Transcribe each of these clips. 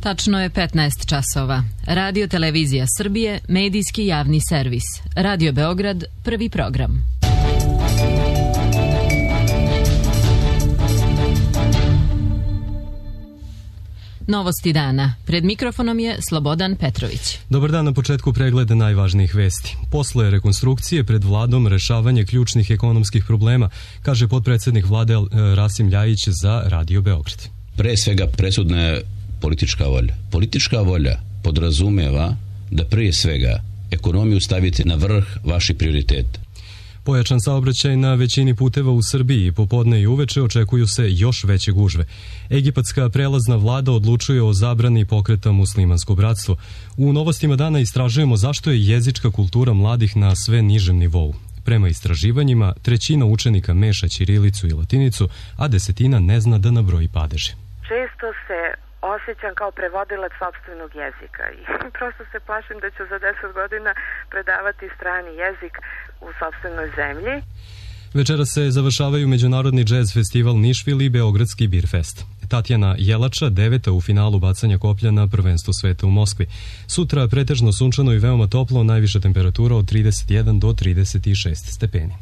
Tačno je 15 časova. Radio Televizija Srbije, medijski javni servis. Radio Beograd, prvi program. Novosti dana. Pred mikrofonom je Slobodan Petrović. Dobar dan, na početku pregleda najvažnijih vesti. Posle rekonstrukcije pred vladom rešavanje ključnih ekonomskih problema, kaže potpredsednik vlade Rasim Ljajić za Radio Beograd. Pre svega presudna je politička volja. Politička volja podrazumeva da prije svega ekonomiju stavite na vrh vaših prioriteta. Pojačan saobraćaj na većini puteva u Srbiji, popodne i uveče očekuju se još veće gužve. Egipatska prelazna vlada odlučuje o zabrani pokreta Muslimansko bratstvo. U novostima dana istražujemo zašto je jezička kultura mladih na sve nižem nivou. Prema istraživanjima, 1/3 učenika meša ćirilicu i latinicu, a 1/10 ne zna da nabroji padeže. Često se osjećam kao prevodilac sopstvenog jezika i prosto se plašim da ću za 10 godina predavati strani jezik u sopstvenoj zemlji. Večera se završavaju Međunarodni džez festival Nišvil i Beogradski Birfest. Tatjana Jelača, 9. u finalu bacanja koplja na prvenstvu sveta u Moskvi. Sutra pretežno sunčano i veoma toplo, najviša temperatura od 31 do 36 stepeni.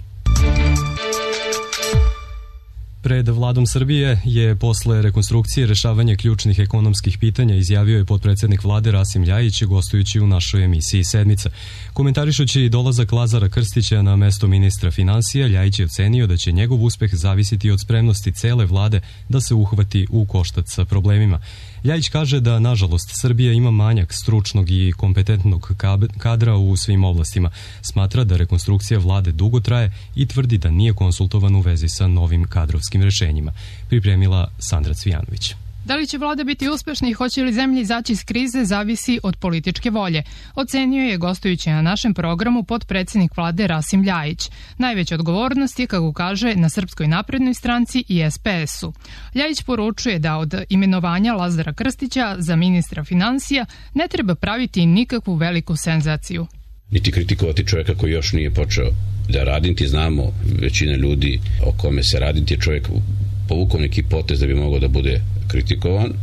Pred vladom Srbije je posle rekonstrukcije rešavanje ključnih ekonomskih pitanja, izjavio je potpredsednik vlade Rasim Ljajić gostujući u našoj emisiji Sedmica. Komentarišući dolazak Lazara Krstića na mesto ministra finansija, Ljajić je ocenio da će njegov uspeh zavisiti od spremnosti cele vlade da se uhvati u koštac sa problemima. Ljajić kaže da, nažalost, Srbija ima manjak stručnog i kompetentnog kadra u svim oblastima. Smatra da rekonstrukcija vlade dugo traje i tvrdi da nije konsultovan u vezi sa novim kadrovskim rešenjima. Pripremila Sandra Cvijanović. Da li će vlada biti uspešna i hoće li zemlja izaći iz krize zavisi od političke volje, ocenio je gostujući na našem programu potpredsednik vlade Rasim Ljajić. Najveća odgovornost je, kako kaže, na Srpskoj naprednoj stranci i SPS-u. Ljajić poručuje da od imenovanja Lazara Krstića za ministra finansija ne treba praviti nikakvu veliku senzaciju. Niti kritikovati čovjeka koji još nije počeo da radi, niti znamo većina ljudi o kome se radi, niti je čovjek povukao neki potez da bi mogao da bude kritikovan,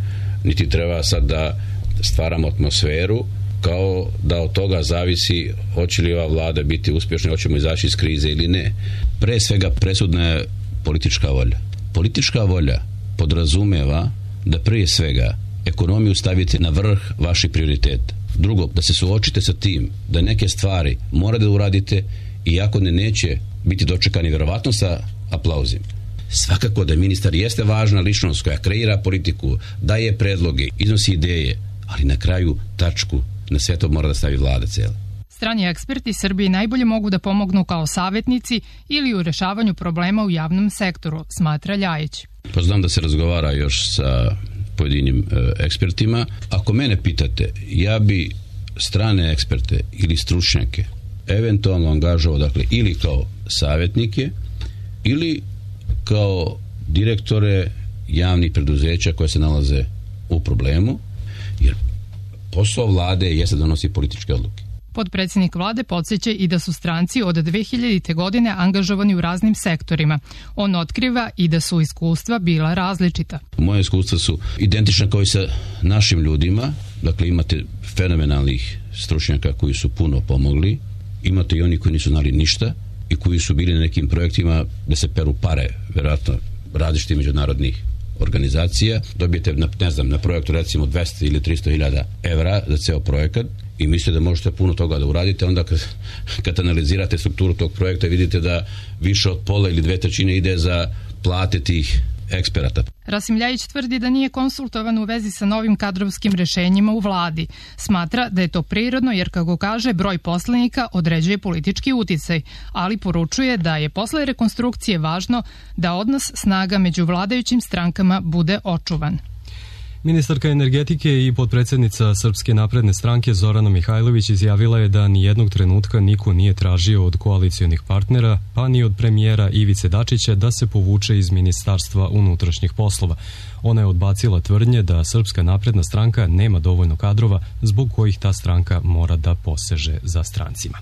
niti treba sad da stvaramo atmosferu kao da od toga zavisi hoće li ova vlada biti uspješna, hoćemo izaći iz krize ili ne. Pre svega presudna je politička volja. Politička volja podrazumeva da prije svega ekonomiju stavite na vrh vaših prioriteta. Drugo, da se suočite sa tim da neke stvari morate da uradite iako neće biti dočekani verovatno sa aplauzima. Svakako da ministar jeste važna ličnost koja kreira politiku, daje predloge, iznosi ideje, ali na kraju tačku na sve to mora da stavi vlada cela. Strani eksperti Srbiji najbolje mogu da pomognu kao savjetnici ili u rešavanju problema u javnom sektoru, smatra Ljajić. Pa znam da se razgovara još sa pojedinim ekspertima. Ako mene pitate, ja bi strane eksperte ili stručnjake eventualno angažovao, dakle, ili kao savjetnike ili kao direktore javnih preduzeća koje se nalaze u problemu, jer posao vlade jeste da donosi političke odluke. Potpredsednik vlade podsjeća i da su stranci od 2000. godine angažovani u raznim sektorima. On otkriva i da su iskustva bila različita. Moje iskustva su identična kao i sa našim ljudima. Dakle, imate fenomenalnih stručnjaka koji su puno pomogli. Imate i oni koji nisu znali ništa i koji su bili na nekim projektima da se peru pare, vjerojatno različitih međunarodnih organizacija. Dobijete, na projektu recimo 200 ili 300 hiljada evra za ceo projekat i mislite da možete puno toga da uradite. Onda kad analizirate strukturu tog projekta vidite da više od pola ili 2/3 ide za plate tih eksperata. Rasim Ljajić tvrdi da nije konsultovan u vezi sa novim kadrovskim rešenjima u vladi. Smatra da je to prirodno jer, kako kaže, broj poslanika određuje politički uticaj, ali poručuje da je posle rekonstrukcije važno da odnos snaga među vladajućim strankama bude očuvan. Ministarka energetike i potpredsednica Srpske napredne stranke Zorana Mihajlović izjavila je da nijednog trenutka niko nije tražio od koalicionih partnera, pa ni od premijera Ivice Dačića da se povuče iz Ministarstva unutrašnjih poslova. Ona je odbacila tvrdnje da Srpska napredna stranka nema dovoljno kadrova zbog kojih ta stranka mora da poseže za strancima.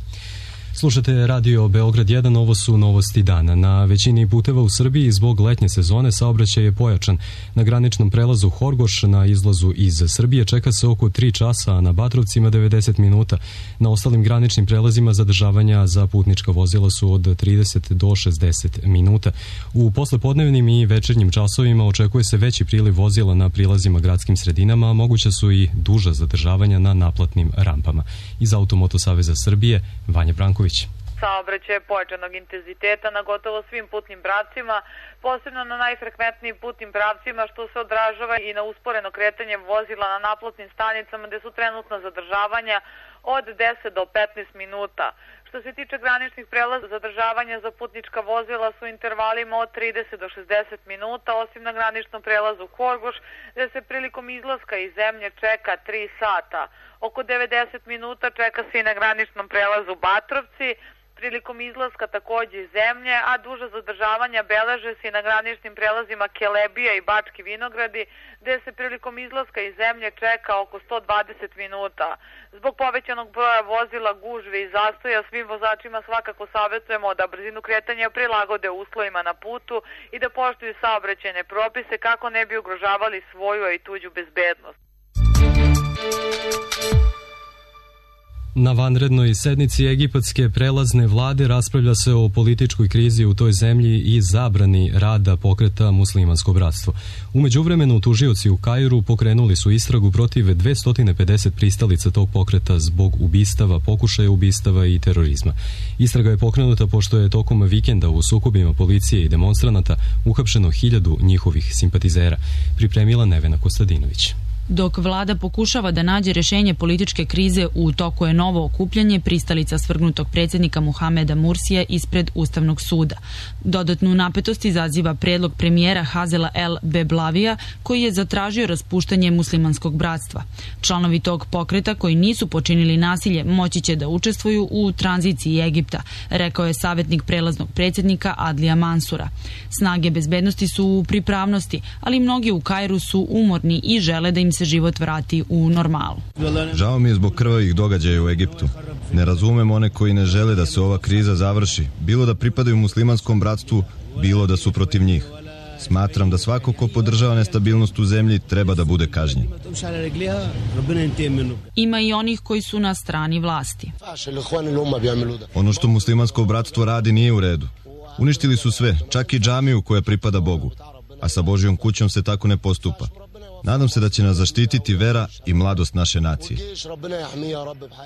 Slušate Radio Beograd 1, ovo su novosti dana. Na većini puteva u Srbiji zbog letnje sezone saobraćaj je pojačan. Na graničnom prelazu Horgoš na izlazu iz Srbije čeka se oko 3 časa, a na Batrovcima 90 minuta. Na ostalim graničnim prelazima zadržavanja za putnička vozila su od 30 do 60 minuta. U poslepodnevnim i večernjim časovima očekuje se veći priliv vozila na prilazima gradskim sredinama, a moguća su i duža zadržavanja na naplatnim rampama. Iz Automoto Saveza Srbije, Vanja Branković. Saobraćaj pojačanog intenziteta na gotovo svim putnim pravcima, posebno na najfrekventnijim putnim pravcima, što se odražava i na usporeno kretanje vozila na naplatnim stanicama gde su trenutna zadržavanja od 10 do 15 minuta. Što se tiče graničnih prelaza, zadržavanja za putnička vozila su intervalima od 30 do 60 minuta, osim na graničnom prelazu Horgoš, gde se prilikom izlaska iz zemlje čeka 3 sata. Oko 90 minuta čeka se i na graničnom prelazu Batrovci, prilikom izlaska takođe iz zemlje, a duža zadržavanja beleže se i na graničnim prelazima Kelebija i Bački Vinogradi, gde se prilikom izlaska iz zemlje čeka oko 120 minuta. Zbog povećanog broja vozila, gužve i zastoja, svim vozačima svakako savjetujemo da brzinu kretanja prilagode uslovima na putu i da poštuju saobraćajne propise kako ne bi ugrožavali svoju i tuđu bezbednost. Na vanrednoj sednici egipatske prelazne vlade raspravlja se o političkoj krizi u toj zemlji i zabrani rada pokreta Muslimansko bratstvo. U međuvremenu tužioci u Kairu pokrenuli su istragu protiv 250 pristalica tog pokreta zbog ubistava, pokušaja ubistava i terorizma. Istraga je pokrenuta pošto je tokom vikenda u sukobima policije i demonstranata uhapšeno 1000 njihovih simpatizera, pripremila Nevena Kostadinović. Dok vlada pokušava da nađe rešenje političke krize, u toku je novo okupljanje pristalica svrgnutog predsjednika Muhameda Mursija ispred Ustavnog suda. Dodatnu napetost izaziva predlog premijera Hazela El Beblavija, koji je zatražio raspuštanje Muslimanskog bratstva. Članovi tog pokreta koji nisu počinili nasilje moći će da učestvuju u tranziciji Egipta, rekao je savjetnik prelaznog predsjednika Adlija Mansura. Snage bezbednosti su u pripravnosti, ali mnogi u Kairu su umorni i žele da im se život vrati u normalu. Žao mi je zbog krvavih događaja u Egiptu. Ne razumem one koji ne žele da se ova kriza završi, bilo da pripadaju muslimanskom bratstvu, bilo da su protiv njih. Smatram da svako ko podržava nestabilnost u zemlji treba da bude kažnjen. Ima i onih koji su na strani vlasti. Ono što muslimansko bratstvo radi nije u redu. Uništili su sve, čak i džamiju koja pripada Bogu. A sa Božjom kućom se tako ne postupa. Nadam se da će nas zaštititi vera i mladost naše nacije.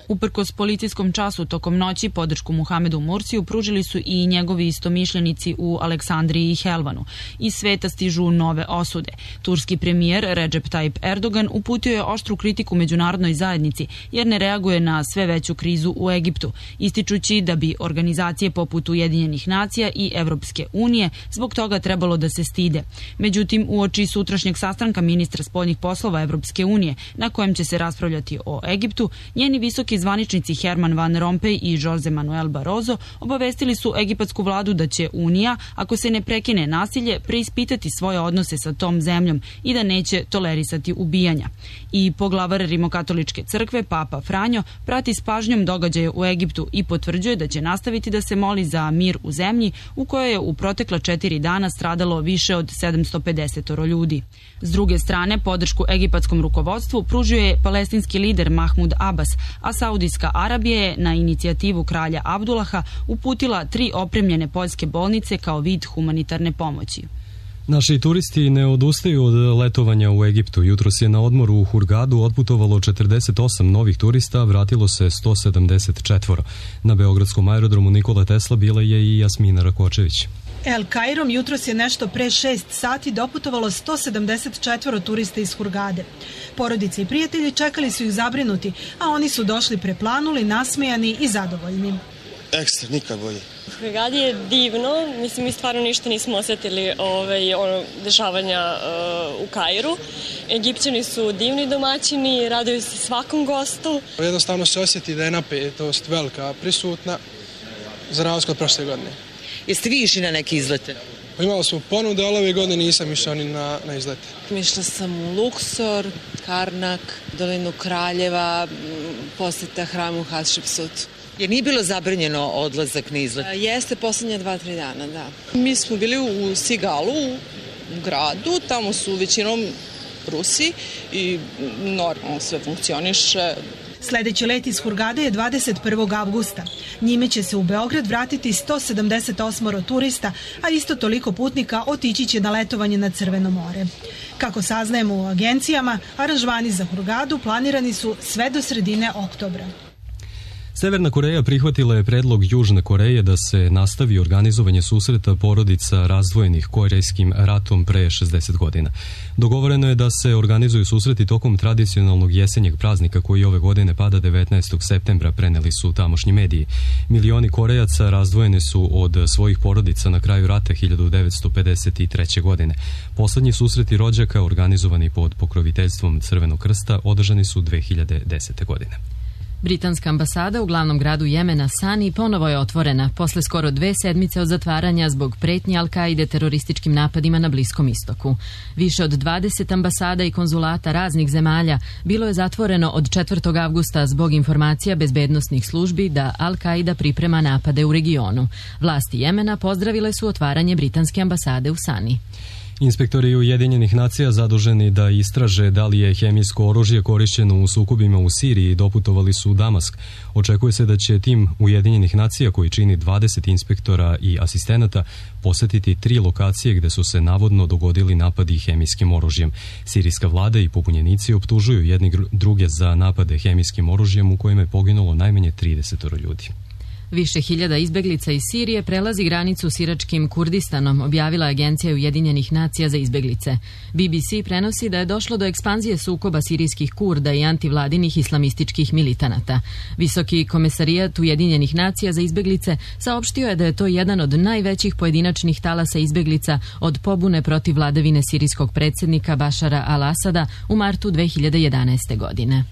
Uprkos policijskom času tokom noći podršku Muhamedu Mursiju pružili su i njegovi istomišljenici u Aleksandriji i Helvanu. Iz sveta stižu nove osude. Turski premijer Recep Tayyip Erdogan uputio je oštru kritiku međunarodnoj zajednici jer ne reaguje na sve veću krizu u Egiptu, ističući da bi organizacije poput Ujedinjenih nacija i Evropske unije zbog toga trebalo da se stide. Međutim, uoči sutrašnjeg sastanka ministra spoljnih poslova Evropske unije, na kojem će se raspravljati o Egiptu, njeni visoki zvaničnici Herman Van Rompuy i Jose Manuel Barroso obavestili su egipatsku vladu da će Unija, ako se ne prekine nasilje, preispitati svoje odnose sa tom zemljom i da neće tolerisati ubijanja. I poglavar Rimokatoličke crkve, Papa Franjo, prati s pažnjom događaje u Egiptu i potvrđuje da će nastaviti da se moli za mir u zemlji u kojoj je u protekla 4 dana stradalo više od 750 ljudi. S druge strane, podršku egipatskom rukovodstvu pružio je palestinski lider Mahmud Abbas, a Saudijska Arabija je na inicijativu kralja Abdullaha uputila 3 opremljene poljske bolnice kao vid humanitarne pomoći. Naši turisti ne odustaju od letovanja u Egiptu. Jutros je na odmoru u Hurgadu otputovalo 48 novih turista, vratilo se 174. Na beogradskom aerodromu Nikola Tesla bila je i Jasmina Rakočević. El Kairom jutros je nešto pre 6 sati doputovalo 174 turista iz Hurgade. Porodice i prijatelji čekali su ih zabrinuti, a oni su došli preplanuli, nasmejani i zadovoljni. Ekstra, nikad bolje. U Hurgadi je divno, mislim mi stvarno ništa nismo osjetili dešavanja u Kairu. Egipćani su divni domaćini, raduju se svakom gostu. Jednostavno se osjeti da je napetost velika prisutna za razliku od prošle godine. Jeste vi išli na neke izlete? Imali smo ponude, ali ove godine nisam išao ni na izlete. Išla sam u Luksor, Karnak, Dolinu Kraljeva, posjeta hramu Hatshepsut. Je nije bilo zabranjeno odlazak na izlet? Jeste, poslednje 2-3 dana, da. Mi smo bili u Sigalu, u gradu, tamo su većinom Rusi i normalno sve funkcioniše. Sledeći let iz Hurgade je 21. avgusta. Njime će se u Beograd vratiti 178 turista, a isto toliko putnika otići će na letovanje na Crveno more. Kako saznajemo u agencijama, aranžmani za Hurgadu planirani su sve do sredine oktobra. Severna Koreja prihvatila je predlog Južne Koreje da se nastavi organizovanje susreta porodica razdvojenih korejskim ratom pre 60 godina. Dogovoreno je da se organizuju susreti tokom tradicionalnog jesenjeg praznika koji ove godine pada 19. septembra, preneli su tamošnji mediji. Milioni Korejaca razdvojeni su od svojih porodica na kraju rata 1953. godine. Poslednji susreti rođaka, organizovani pod pokroviteljstvom Crvenog krsta, održani su 2010. godine. Britanska ambasada u glavnom gradu Jemena, Sani, ponovo je otvorena posle skoro 2 sedmice od zatvaranja zbog pretnji Al-Kaide terorističkim napadima na Bliskom istoku. Više od 20 ambasada i konzulata raznih zemalja bilo je zatvoreno od 4. avgusta zbog informacija bezbednosnih službi da Al-Kaida priprema napade u regionu. Vlasti Jemena pozdravile su otvaranje britanske ambasade u Sani. Inspektori Ujedinjenih nacija zaduženi da istraže da li je hemijsko oružje korišćeno u sukobima u Siriji doputovali su u Damask. Očekuje se da će tim Ujedinjenih nacija, koji čini 20 inspektora i asistenata, posetiti 3 lokacije gde su se navodno dogodili napadi hemijskim oružjem. Sirijska vlada i pobunjenici optužuju jedni druge za napade hemijskim oružjem u kojima je poginulo najmanje 30 ljudi. Više hiljada izbeglica iz Sirije prelazi granicu s iračkim Kurdistanom, objavila Agencija Ujedinjenih nacija za izbeglice. BBC prenosi da je došlo do ekspanzije sukoba sirijskih Kurda i antivladinih islamističkih militanata. Visoki komesarijat Ujedinjenih nacija za izbeglice saopštio je da je to jedan od najvećih pojedinačnih talasa izbeglica od pobune protiv vladavine sirijskog predsjednika Bašara al-Asada u martu 2011. godine.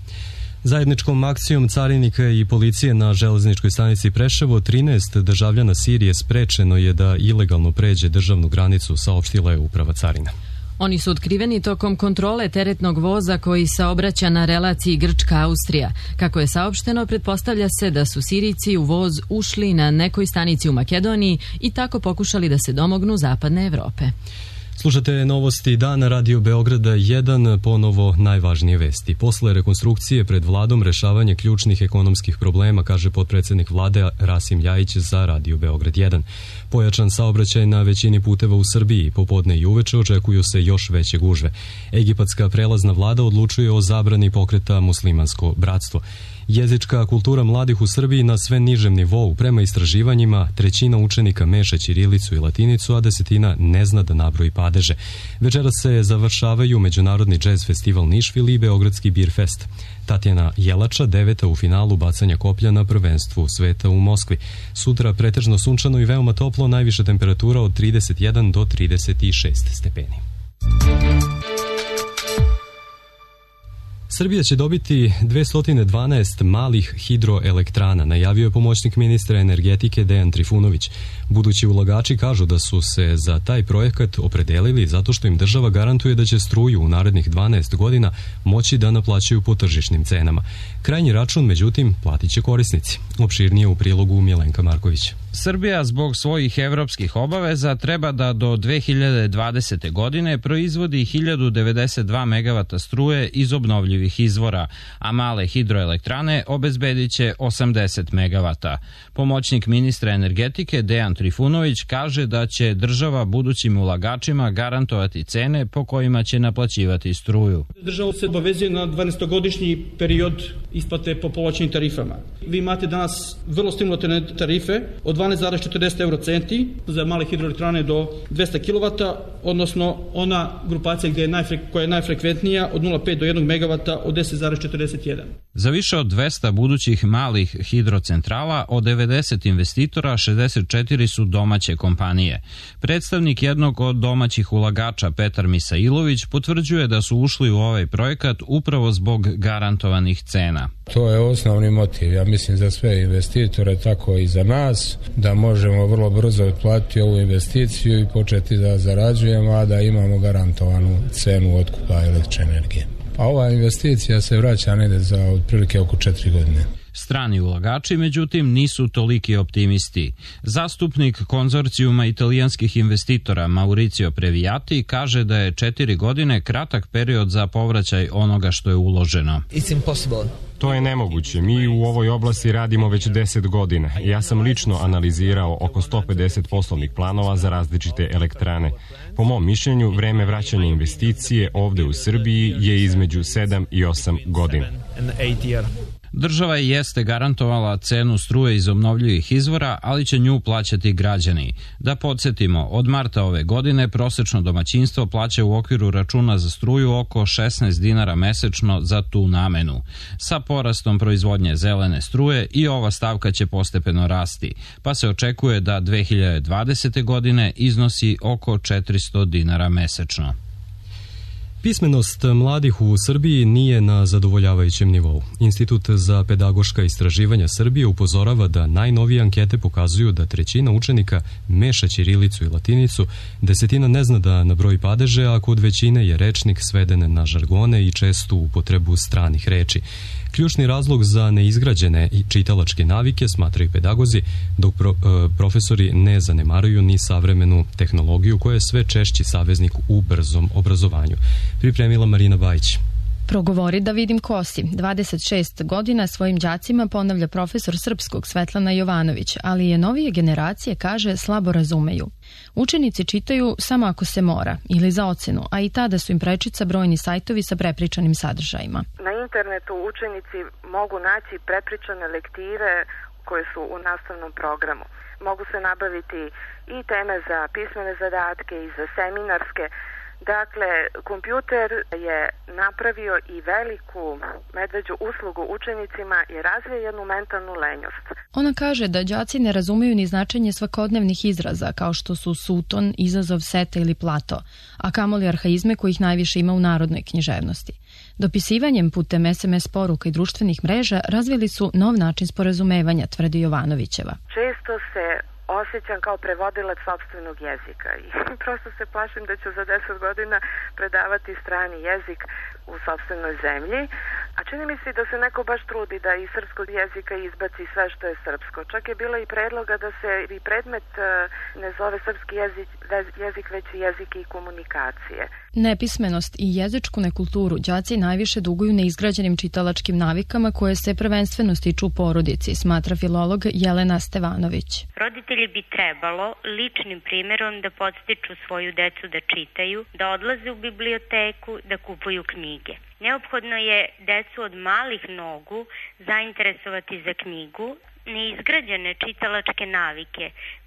Zajedničkom akcijom carinika i policije na železničkoj stanici Preševo 13 državljana Sirije sprečeno je da ilegalno pređe državnu granicu, saopštila je uprava carina. Oni su otkriveni tokom kontrole teretnog voza koji saobraća na relaciji Grčka-Austrija. Kako je saopšteno, pretpostavlja se da su Sirijci u voz ušli na nekoj stanici u Makedoniji i tako pokušali da se domognu zapadne Evrope. Slušate novosti dana Radio Beograda 1, ponovo najvažnije vesti. Posle rekonstrukcije pred vladom rešavanje ključnih ekonomskih problema, kaže potpredsednik vlade Rasim Ljajić za Radio Beograd 1. Pojačan saobraćaj na većini puteva u Srbiji, popodne i uveče očekuju se još veće gužve. Egipatska prelazna vlada odlučuje o zabrani pokreta Muslimansko bratstvo. Jezička kultura mladih u Srbiji na sve nižem nivou. Prema istraživanjima, 1/3 učenika meša ćirilicu i latinicu, a 1/10 ne zna da nabroji padeže. Večera se završavaju Međunarodni džez festival Nišvil i Beogradski Bir fest. Tatjana Jelača 9. u finalu bacanja koplja na prvenstvu sveta u Moskvi. Sutra pretežno sunčano i veoma toplo, najviša temperatura od 31 do 36 stepeni. Srbija će dobiti 212 malih hidroelektrana, najavio je pomoćnik ministra energetike Dejan Trifunović. Budući ulagači kažu da su se za taj projekat opredelili zato što im država garantuje da će struju u narednih 12 godina moći da naplaćaju po tržišnim cenama. Krajnji račun, međutim, platit će korisnici. Opširnije u prilogu Milenka Marković. Srbija zbog svojih evropskih obaveza treba da do 2020. godine proizvodi 1092 MW struje iz obnovljivih izvora, a male hidroelektrane obezbedit će 80 MW. Pomoćnik ministra energetike Dejan Trifunović kaže da će država budućim ulagačima garantovati cene po kojima će naplaćivati struju. Država se obavezuje na 12-godišnji period isplate po povlačenim tarifama. Vi imate danas vrlo stimulativne tarife od 12,40 eurocenti za male hidroelektrane do 200 kW, odnosno ona grupacija koja je najfrekventnija od 0,5 do 1 MW od 10,41. Za više od 200 budućih malih hidrocentrala od 90 investitora 64 su domaće kompanije. Predstavnik jednog od domaćih ulagača Petar Misailović potvrđuje da su ušli u ovaj projekat upravo zbog garantovanih cena. To je osnovni motiv, ja mislim, za sve investitore, tako i za nas, da možemo vrlo brzo otplatiti ovu investiciju i početi da zarađujemo, a da imamo garantovanu cenu otkupa električne energije. A ova investicija se vraća negde za otprilike oko 4 godine. Strani ulagači, međutim, nisu toliki optimisti. Zastupnik konzorcijuma italijanskih investitora Mauricio Previati kaže da je 4 godine kratak period za povraćaj onoga što je uloženo. To je nemoguće. Mi u ovoj oblasti radimo već 10 godina. Ja sam lično analizirao oko 150 poslovnih planova za različite elektrane. Po mom mišljenju, vreme vraćanja investicije ovde u Srbiji je između 7 i 8 godina. Država jeste garantovala cenu struje iz obnovljivih izvora, ali će nju plaćati građani. Da podsjetimo, od marta ove godine prosečno domaćinstvo plaća u okviru računa za struju oko 16 dinara mesečno za tu namenu. Sa porastom proizvodnje zelene struje i ova stavka će postepeno rasti, pa se očekuje da 2020. godine iznosi oko 400 dinara mesečno. Pismenost mladih u Srbiji nije na zadovoljavajućem nivou. Institut za pedagoška istraživanja Srbije upozorava da najnovije ankete pokazuju da 1/3 učenika meša ćirilicu i latinicu, 10% ne zna da nabroji padeže, a kod većine je rečnik sveden na žargone i čestu upotrebu stranih reči. Ključni razlog za neizgrađene čitalačke navike, smatraju pedagozi, dok profesori ne zanemaruju ni savremenu tehnologiju koja je sve češći saveznik u brzom obrazovanju. Pripremila Marina Bajić. Progovori da vidim kosi. 26 godina svojim đacima ponavlja profesor srpskog Svetlana Jovanović, ali je novije generacije, kaže, slabo razumeju. Učenici čitaju samo ako se mora ili za ocenu, a i tada su im prečica brojni sajtovi sa prepričanim sadržajima. Na internetu učenici mogu naći prepričane lektire koje su u nastavnom programu. Mogu se nabaviti i teme za pismene zadatke i za seminarske. Dakle, kompjuter je napravio i veliku medveđu uslugu učenicima i razvije jednu mentalnu lenjost. Ona kaže da đaci ne razumeju ni značenje svakodnevnih izraza kao što su suton, izazov, seta ili plato, a kamoli arhaizme kojih najviše ima u narodnoj književnosti. Dopisivanjem putem SMS poruka i društvenih mreža razvili su nov način sporazumevanja, tvrdi Jovanovićeva. Često se osjećam kao prevodilac sopstvenog jezika i prosto se plašim da ću za 10 godina predavati strani jezik u sopstvenoj zemlji, a čini mi se da se neko baš trudi da iz srpskog jezika izbaci sve što je srpsko. Čak je bilo i predloga da se i predmet ne zove srpski jezik već jezik i komunikacije. Nepismenost i jezičku nekulturu đaci najviše duguju neizgrađenim čitalačkim navikama koje se prvenstveno stiču u porodici, smatra filolog Jelena Stevanović. Roditelji bi trebalo ličnim primjerom da podstiču svoju decu da čitaju, da odlaze u biblioteku, da kupuju knjige. Neophodno je decu od malih nogu zainteresovati za knjigu. Neizgrađene čitalačke navike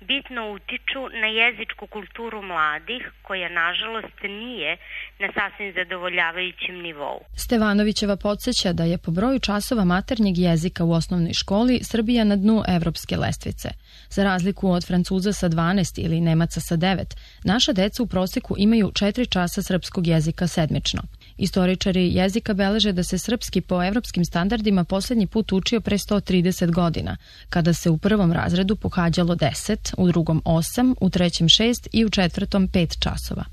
bitno utiču na jezičku kulturu mladih, koja nažalost nije na sasvim zadovoljavajućem nivou. Stevanovićeva podsjeća da je po broju časova maternjeg jezika u osnovnoj školi Srbija na dnu evropske lestvice. Za razliku od Francuza sa 12 ili Nemaca sa 9, naša deca u proseku imaju 4 časa srpskog jezika sedmično. Istoričari jezika beleže da se srpski po evropskim standardima poslednji put učio pre 130 godina, kada se u prvom razredu pohađalo 10, u drugom 8, u trećem 6 i u četvrtom 5 časova.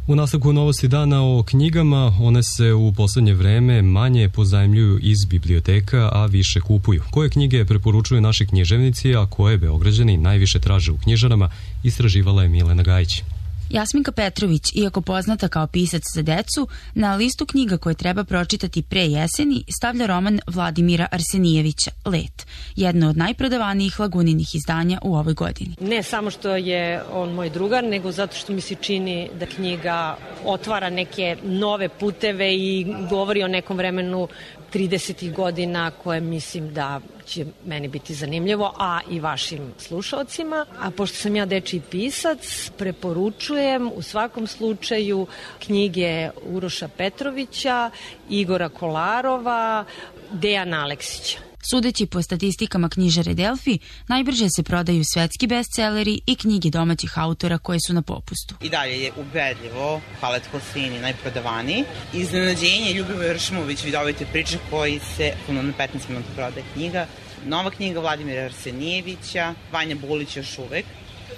U nastavku novosti dana o knjigama, one se u poslednje vreme manje pozajmljuju iz biblioteka, a više kupuju. Koje knjige preporučuju naši književnici, a koje Beograđani najviše traže u knjižarama, istraživala je Milena Gajić. Jasminka Petrović, iako poznata kao pisac za decu, na listu knjiga koje treba pročitati pre jeseni stavlja roman Vladimira Arsenijevića Let, jedno od najprodavanijih Laguninih izdanja u ovoj godini. Ne samo što je on moj drugar, nego zato što mi se čini da knjiga otvara neke nove puteve i govori o nekom vremenu 30. godina koje mislim da će meni biti zanimljivo, a i vašim slušalcima. A pošto sam ja dečiji pisac, preporučujem u svakom slučaju knjige Uroša Petrovića, Igora Kolarova, Dejana Aleksića. Sudeći po statistikama knjižare Delfi, najbrže se prodaju svetski bestseleri i knjige domaćih autora koje su na popustu. I dalje je ubedljivo Halet Kosini najprodavaniji. Iznenađenje Ljubivoje Ršmović, vidovite priče koji se na 15 minuta prodaje knjiga. Nova knjiga Vladimira Arsenijevića, Vanja Bulić još uvek.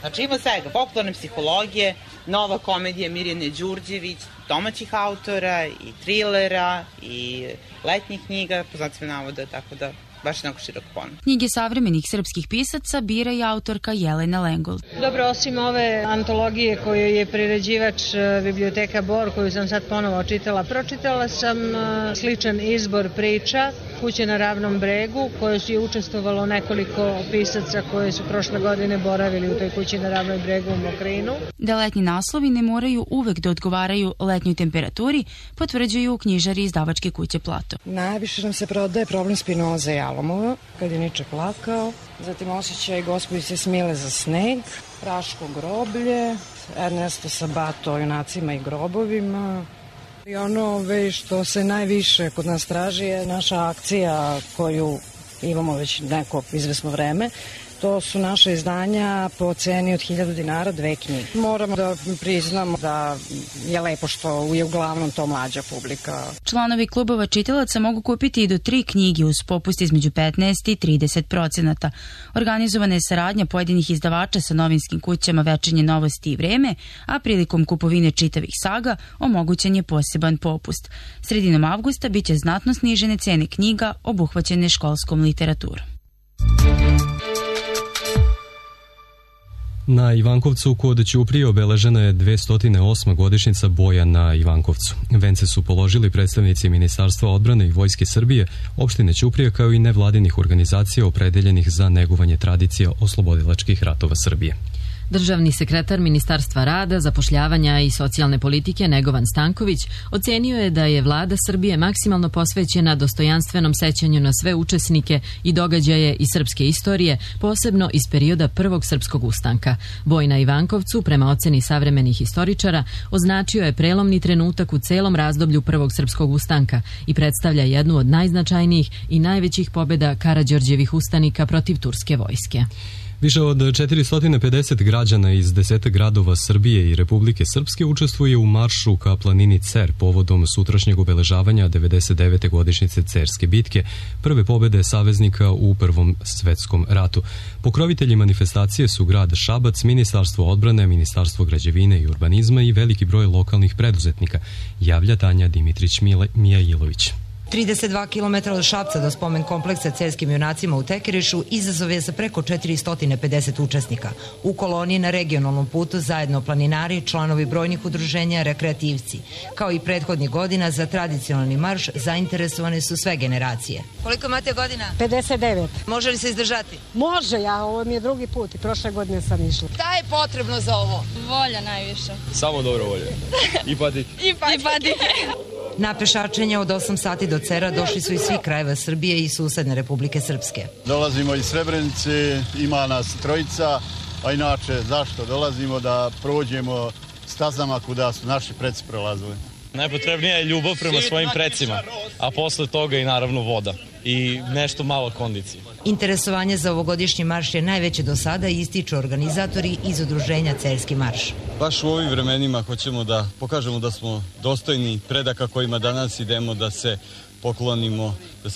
Znači ima svega, popularne psihologije, nova komedija Mirjane Đurđević, domaćih autora i trilera i letnjih knjiga, po znacima navoda, tako da baš onako širok ponuda. Knjige savremenih srpskih pisaca bira i autorka Jelena Lengol. Dobro, osim ove antologije koju je priređivač Biblioteka Bor, koju sam sad ponovo pročitala sam sličan izbor priča Kuće na ravnom bregu, koje su je učestvovalo nekoliko pisaca koje su prošle godine boravili u toj Kući na ravnom bregu u Mokrinu. Da letnji naslovi ne moraju uvek da odgovaraju letnjoj temperaturi, potvrđuju knjižari izdavačke kuće Plato. Najviše nam se prodaje Problem Spinoza i Alomova, kad je Niče plakao, zatim Osjećaj gospođice Smile za sneg, Praško groblje, Ernesto Sabato o junacima i grobovima. I ono što se najviše kod nas traži je naša akcija koju imamo već neko izvesno vreme. To su naše izdanja po ceni od 1000 dinara, 2 knjige. Moramo da priznamo da je lepo što je uglavnom to mlađa publika. Članovi klubova čitalaca mogu kupiti i do 3 knjige uz popust između 15 i 30%. Organizovana je saradnja pojedinih izdavača sa novinskim kućama Večernje novosti i Vreme, a prilikom kupovine čitavih saga omogućen je poseban popust. Sredinom avgusta biće znatno snižene cene knjiga obuhvaćene školskom literaturom. Na Ivankovcu kod Ćuprije obeležena je 208. godišnjica boja na Ivankovcu. Vence su položili predstavnici Ministarstva odbrane i Vojske Srbije, opštine Ćuprije kao i nevladinih organizacija opredeljenih za negovanje tradicija oslobodilačkih ratova Srbije. Državni sekretar Ministarstva rada, zapošljavanja i socijalne politike Negovan Stanković ocenio je da je vlada Srbije maksimalno posvećena dostojanstvenom sećanju na sve učesnike i događaje iz srpske istorije, posebno iz perioda Prvog srpskog ustanka. Boj na Ivankovcu, prema oceni savremenih istoričara, označio je prelomni trenutak u celom razdoblju Prvog srpskog ustanka i predstavlja jednu od najznačajnijih i najvećih pobjeda Karađorđevih ustanika protiv turske vojske. Više od 450 građana iz 10 gradova Srbije i Republike Srpske učestvuje u maršu ka planini Cer povodom sutrašnjeg obeležavanja 99. godišnjice Cerske bitke, prve pobjede saveznika u Prvom svetskom ratu. Pokrovitelji manifestacije su grad Šabac, Ministarstvo odbrane, Ministarstvo građevine i urbanizma i veliki broj lokalnih preduzetnika, javlja Tanja Dimitrić-Mijailović. 32 km od Šapca do spomen kompleksa Cerskim junacima u Tekerišu izazov je za preko 450 učesnika. U koloniji na regionalnom putu zajedno planinari, članovi brojnih udruženja, rekreativci. Kao i prethodnih godina za tradicionalni marš zainteresovane su sve generacije. Koliko imate godina? 59. Može li se izdržati? Može, ovo mi je drugi put i prošle godine sam išla. Šta je potrebno za ovo? Volja najviše. Samo dobro volje. I patike. I patike. Na pešačenje od 8 sati do Cera došli su iz svih krajeva Srbije i susedne Republike Srpske. Dolazimo iz Srebrenice, ima nas trojica, a inače zašto dolazimo? Da prođemo stazama kuda su naši preci prolazili. Najpotrebnija je ljubav prema svojim precima, a posle toga i naravno voda i nešto malo kondicije. Interesovanje za ovogodišnji marš je najveće do sada i ističu organizatori iz udruženja Cerski marš. Baš u ovim vremenima hoćemo da pokažemo da smo dostojni predaka kojima danas idemo da se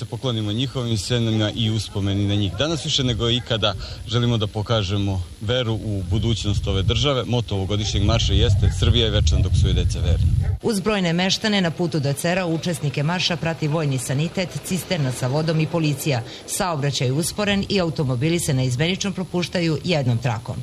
poklonimo njihovim senima i uspomeni na njih. Danas više nego ikada želimo da pokažemo veru u budućnost ove države. Moto ovogodišnjeg marša jeste Srbija je večna dok su joj deca verni. Uz brojne meštane na putu do Cera učesnike marša prati vojni sanitet, cisterna sa vodom i policija. Saobraćaj je usporen i automobili se neizmenično propuštaju jednom trakom.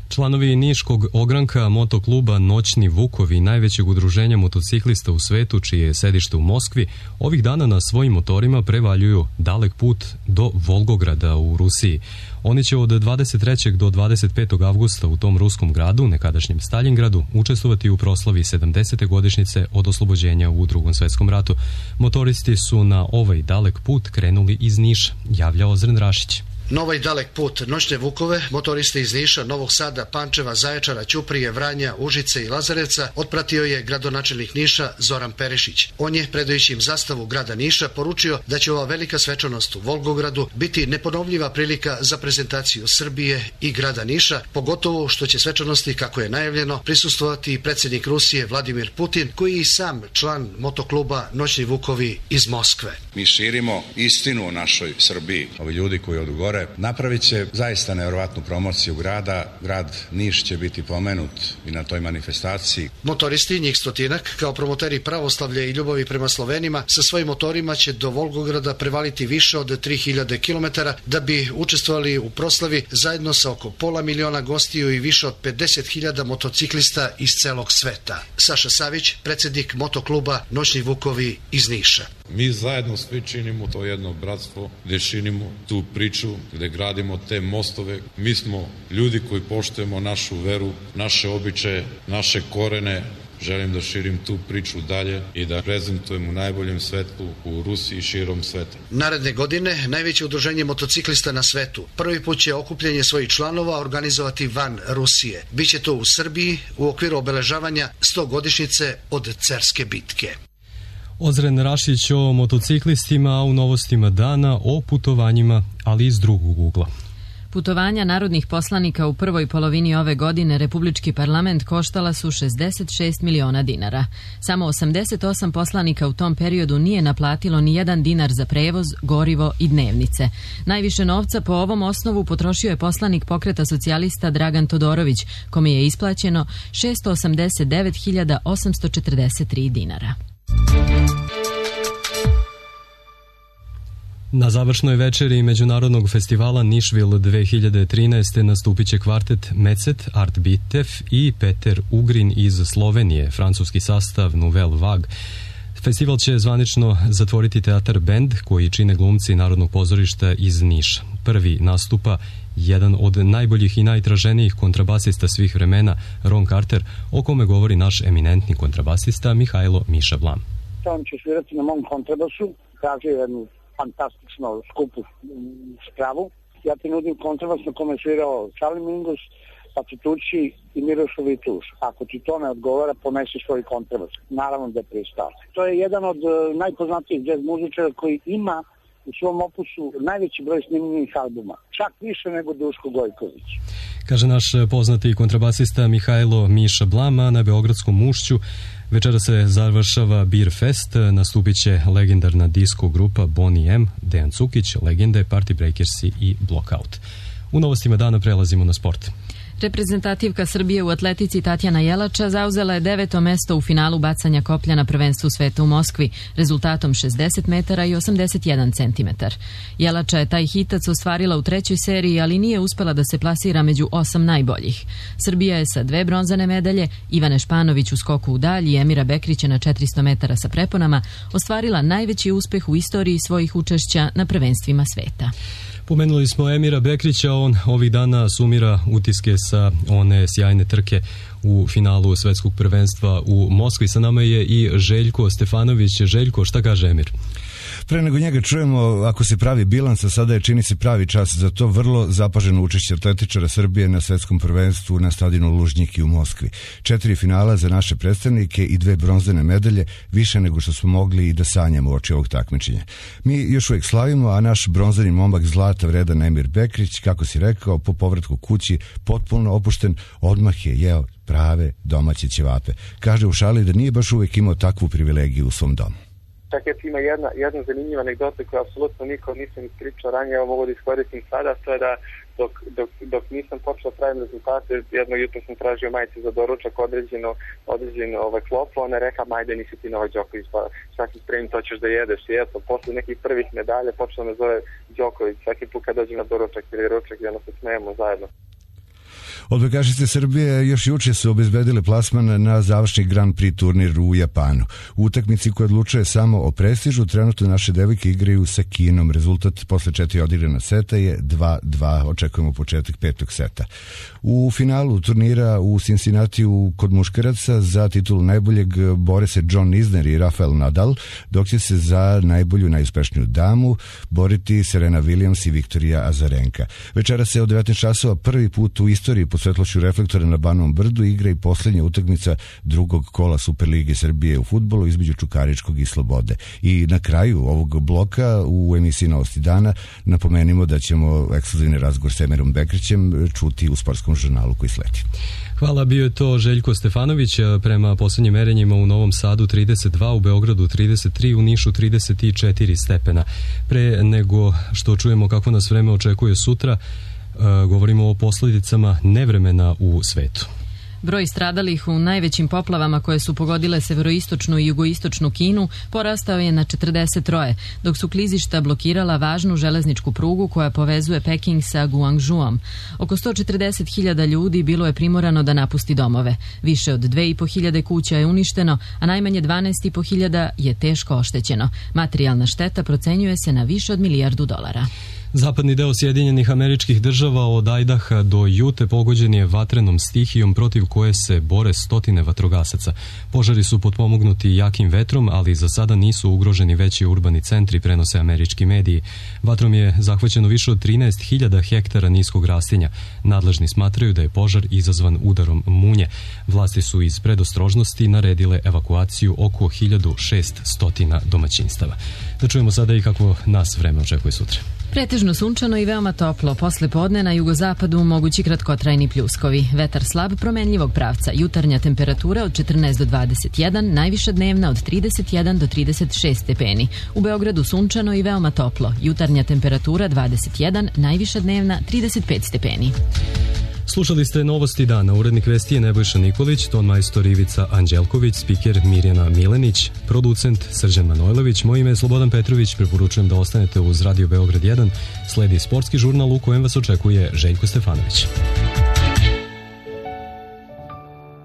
Članovi Niškog ogranka motokluba Noćni Vukovi, najvećeg udruženja motociklista u svetu, čije je sedište u Moskvi, ovih dana na svojim motorima prevaljuju dalek put do Volgograda u Rusiji. Oni će od 23. do 25. avgusta u tom ruskom gradu, nekadašnjem Staljingradu, učestvovati u proslavi 70. godišnjice od oslobođenja u Drugom svetskom ratu. Motoristi su na ovaj dalek put krenuli iz Niša, javlja Ozren Rašić. Na ovaj dalek put Noćne Vukove motoriste iz Niša, Novog Sada, Pančeva, Zaječara, Ćuprije, Vranja, Užice i Lazarevca otpratio je gradonačelnik Niša Zoran Perišić. On je, predajući im zastavu grada Niša, poručio da će ova velika svečanost u Volgogradu biti neponovljiva prilika za prezentaciju Srbije i grada Niša, pogotovo što će svečanosti, kako je najavljeno, prisustvovati i predsjednik Rusije Vladimir Putin, koji je i sam član motokluba Noćni Vukovi iz Moskve. Mi širimo istinu o našoj Srbiji. Ovi ljudi koji odu gore gore. Napravit će zaista nevjerovatnu promociju grada. Grad Niš će biti pomenut i na toj manifestaciji. Motoristi, njih stotinak, kao promoteri pravoslavlja i ljubavi prema Slovenima, sa svojim motorima će do Volgograda prevaliti više od 3000 km da bi učestvovali u proslavi zajedno sa oko 500.000 gostiju i više od 50.000 motociklista iz celog sveta. Saša Savić, predsjednik motokluba Noćni Vukovi iz Niša. Mi zajedno svi činimo to jedno bratstvo, gdje činimo tu priču, gdje gradimo te mostove. Mi smo ljudi koji poštujemo našu veru, naše običaje, naše korene. Želim da širim tu priču dalje i da prezentujem u najboljem svetlu u Rusiji i širom sveta. Naredne godine najveće udruženje motociklista na svetu prvi put će okupljanje svojih članova organizovati van Rusije. Biće to u Srbiji u okviru obeležavanja 100-godišnjice od Cerske bitke. Ozren Rašić o motociklistima, a u novostima dana o putovanjima, ali iz drugog ugla. Putovanja narodnih poslanika u prvoj polovini ove godine Republički parlament koštala su 66 miliona dinara. Samo 88 poslanika u tom periodu nije naplatilo ni jedan dinar za prevoz, gorivo i dnevnice. Najviše novca po ovom osnovu potrošio je poslanik Pokreta socijalista Dragan Todorović, kome je isplaćeno 689.843 dinara. Na završnoj večeri Međunarodnog festivala Nišvil 2013. nastupit će kvartet Mecet, Art Bitev i Peter Ugrin iz Slovenije, francuski sastav Nouvelle Vague. Festival će zvanično zatvoriti teatar Bend, koji čine glumci Narodnog pozorišta iz Niša. Prvi nastupa jedan od najboljih i najtraženijih kontrabasista svih vremena, Ron Carter, o kome govori naš eminentni kontrabasista Mihajlo Miša Blam. On će svirati na mom kontrabasu, kaže jednu fantastično skupu spravu. Ja ti nudim kontrabas na kome je svirao Charlie Mingus, Pacitucci i Miroslav Vituš. Ako ti to ne odgovara, ponesi svoj kontrabas. Naravno da je pristao. To je jedan od najpoznatijih jazz muzičara koji ima u svom opusu najveći broj snimljenih albuma. Čak više nego Duško Gojković. Kaže naš poznati kontrabasista Mihajlo Miša Blam, a na Beogradskom Ušću večera se završava Beer Fest, nastupit će legendarna disco grupa Boney M, Dejan Cukić, legende, Party Breakersi i Blockout. U novostima dana prelazimo na sport. Reprezentativka Srbije u atletici Tatjana Jelača zauzela je 9. mesto u finalu bacanja koplja na prvenstvu sveta u Moskvi, rezultatom 60 metara i 81 centimetar. Jelača je taj hitac ostvarila u trećoj seriji, ali nije uspela da se plasira među 8 najboljih. Srbija je sa 2 bronzane medalje, Ivane Španović u skoku u dalj i Emira Bekrića na 400 metara sa preponama, ostvarila najveći uspeh u istoriji svojih učešća na prvenstvima sveta. Pomenuli smo Emira Bekrića, on ovih dana sumira utiske sa one sjajne trke u finalu svetskog prvenstva u Moskvi. Sa nama je i Željko Stefanović. Željko, šta kaže Emir? Pre nego njega čujemo, ako se pravi bilans, a sada je čini se pravi čas za to, vrlo zapaženo učešće atletičara Srbije na svetskom prvenstvu na stadionu Lužnjiki u Moskvi. 4 finala za naše predstavnike i 2 bronzane medalje, više nego što smo mogli i da sanjamo uoči ovog takmičenja. Mi još uvijek slavimo, a naš bronzani momak zlata vredan Emir Bekrić, kako si rekao, po povratku kući potpuno opušten, odmah je jeo prave domaće ćevape. Kaže u šali da nije baš uvijek imao takvu privilegiju u svom domu. Čak ima jedna zanimljiva anegdota koja apsolutno niko nisam ispričao ranije, evo mogu da iskoristim sada, to je da dok nisam počeo pravim rezultate, jedno jutro sam tražio majice za doručak određeno klopu, ona je rekla, majde nisi ti Novak Đoković, pa svaki spremim to ćeš da jedeš. I eto, posle nekih prvih medalja počeo me zove Đoković, svaki put kad dođem na doručak ili ručak, jedno se smejemo zajedno. Odbojkašice Srbije još juče su obezbedile plasman na završni Grand Prix turnir u Japanu. U utakmici koja odlučuje samo o prestižu, trenutno naše devojke igraju sa Kinom. Rezultat posle 4 odigrana seta je 2-2. Očekujemo početak 5. seta. U finalu turnira u Cincinnatiju kod muškaraca za titulu najboljeg bore se John Isner i Rafael Nadal, dok će se za najbolju, najuspešniju damu boriti Serena Williams i Viktorija Azarenka. Večera se od 19 časova prvi put u istoriji pod svetlošću reflektora na Banovom brdu igra i posljednja utakmica drugog kola Superlige Srbije u fudbalu između Čukaričkog i Slobode. I na kraju ovog bloka u emisiji Novosti dana napomenimo da ćemo ekskluzivni razgovor s Emirom Bekrićem čuti u sportskom žurnalu koji sledi. Hvala, bio je to Željko Stefanović. Prema poslednjim merenjima u Novom Sadu 32, u Beogradu 33, u Nišu 34 stepena. Pre nego što čujemo kako nas vreme očekuje sutra, govorimo o posledicama nevremena u svetu. Broj stradalih u najvećim poplavama koje su pogodile severoistočnu i jugoistočnu Kinu porastao je na 43, dok su klizišta blokirala važnu železničku prugu koja povezuje Peking sa Guangzhouom. Oko 140.000 ljudi bilo je primorano da napusti domove. Više od 2.500 kuća je uništeno, a najmanje 12.500 je teško oštećeno. Materijalna šteta procenjuje se na više od $1 milijardu. Zapadni deo Sjedinjenih Američkih Država od Ajdaha do Jute pogođen je vatrenom stihijom protiv koje se bore stotine vatrogasaca. Požari su potpomognuti jakim vetrom, ali za sada nisu ugroženi veći urbani centri, prenose američki mediji. Vatrom je zahvaćeno više od 13.000 hektara niskog rastinja. Nadležni smatraju da je požar izazvan udarom munje. Vlasti su iz predostrožnosti naredile evakuaciju oko 1600 domaćinstava. Da čujemo sada i kako nas vreme očekuje sutra. Pretežno sunčano i veoma toplo. Posle podne na jugozapadu mogući kratkotrajni pljuskovi. Vetar slab promenljivog pravca. Jutarnja temperatura od 14 do 21, najviša dnevna od 31 do 36 stepeni. U Beogradu sunčano i veoma toplo. Jutarnja temperatura 21, najviša dnevna 35 stepeni. Slušali ste Novosti dana. Urednik vesti je Nebojša Nikolić, ton majstor Ivica Anđelković, spiker Mirjana Milenić, producent Srđan Manojlović. Moje ime je Slobodan Petrović. Preporučujem da ostanete uz Radio Beograd 1. Sledi sportski žurnal u kojem vas očekuje Željko Stefanović.